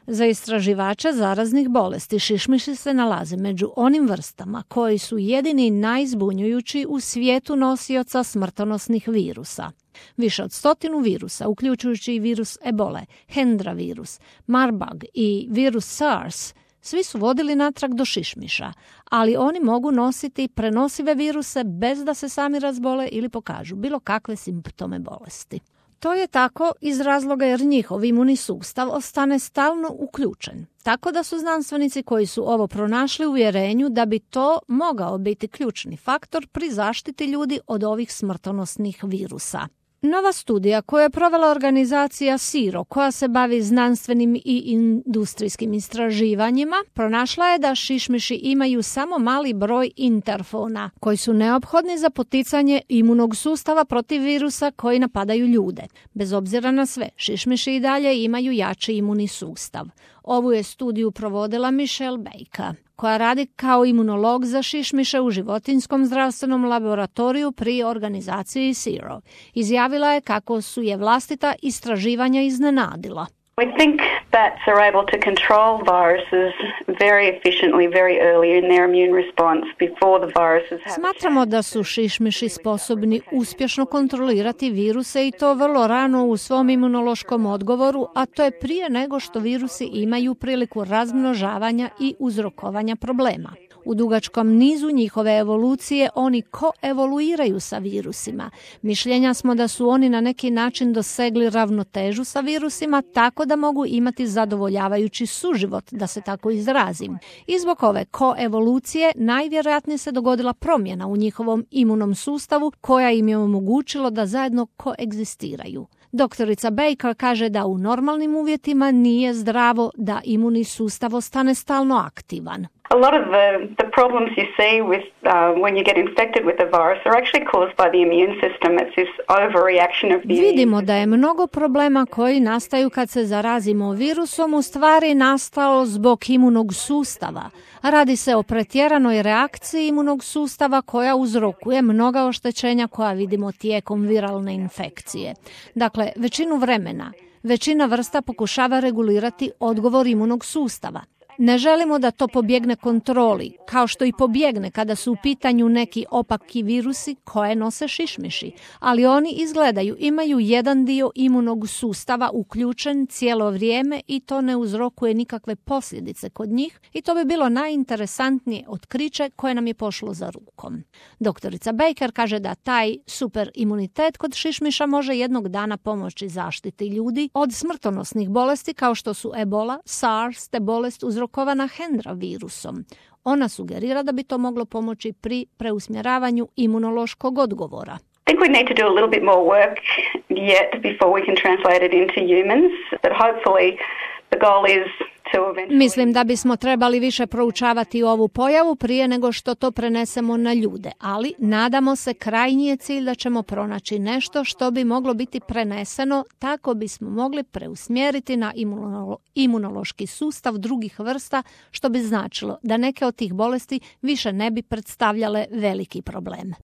Za istraživače zaraznih bolesti šišmiši se nalaze među onim vrstama koji su jedini najzbunjujući u svijetu nosioca smrtonosnih virusa. Više od 100 virusa, uključujući i virus ebole, Hendra virus, Marburg i virus SARS, svi su vodili natrag do šišmiša, ali oni mogu nositi prenosive viruse bez da se sami razbole ili pokažu bilo kakve simptome bolesti. To je tako iz razloga jer njihov imunni sustav ostane stalno uključen. Tako da su znanstvenici koji su ovo pronašli u uvjerenju da bi to mogao biti ključni faktor pri zaštiti ljudi od ovih smrtonosnih virusa. Nova studija koju je provela organizacija SIRO, koja se bavi znanstvenim i industrijskim istraživanjima, pronašla je da šišmiši imaju samo mali broj interfona, koji su neophodni za poticanje imunog sustava protiv virusa koji napadaju ljude. Bez obzira na sve, šišmiši i dalje imaju jači imunni sustav. Ovu je studiju provodila Michelle Baker, koja radi kao imunolog za šišmiše u životinjskom zdravstvenom laboratoriju pri organizaciji SIRO. Izjavila je kako su je vlastita istraživanja iznenadila. We think bats are able to control viruses very efficiently, very early in their immune response before the viruses have. Smatramo da su šišmiši sposobni uspješno kontrolirati viruse i to vrlo rano u svom imunološkom odgovoru, a to je prije nego što virusi imaju priliku razmnožavanja i uzrokovanja problema. U dugačkom nizu njihove evolucije oni koevoluiraju sa virusima. Mišljenja smo da su oni na neki način dosegli ravnotežu sa virusima tako da mogu imati zadovoljavajući suživot, da se tako izrazim. I zbog ove koevolucije najvjerojatnije se dogodila promjena u njihovom imunom sustavu koja im je omogućilo da zajedno koegzistiraju. Doktorica Baker kaže da u normalnim uvjetima nije zdravo da imunni sustav ostane stalno aktivan. A lot of the problems you see with when you get infected with the virus are actually caused by the immune system. It's this overreaction of the immune system. Vidimo da je mnogo problema koji nastaju kad se zarazimo virusom u stvari nastalo zbog imunog sustava. Radi se o pretjeranoj reakciji imunog sustava koja uzrokuje mnoga oštećenja koja vidimo tijekom viralne infekcije. Dakle, većinu vremena, većina vrsta pokušava regulirati odgovor imunog sustava. Ne želimo da to pobjegne kontroli, kao što i pobjegne kada su u pitanju neki opaki virusi koje nose šišmiši, ali oni izgledaju, imaju jedan dio imunog sustava uključen cijelo vrijeme i to ne uzrokuje nikakve posljedice kod njih i to bi bilo najinteresantnije otkriće koje nam je pošlo za rukom. Doktorica Baker kaže da taj super imunitet kod šišmiša može jednog dana pomoći zaštiti ljudi od smrtonosnih bolesti kao što su ebola, SARS te bolest uzrokovana Hendra virusom. Ona sugerira da bi to moglo pomoći pri preusmjeravanju imunološkog odgovora. I think we need to do a little bit more work yet before we can translate it into humans, but hopefully the goal is to eventually... Mislim da bismo trebali više proučavati ovu pojavu prije nego što to prenesemo na ljude, ali nadamo se krajnji je cilj da ćemo pronaći nešto što bi moglo biti preneseno tako bismo mogli preusmjeriti na imunološki sustav drugih vrsta, što bi značilo da neke od tih bolesti više ne bi predstavljale veliki problem.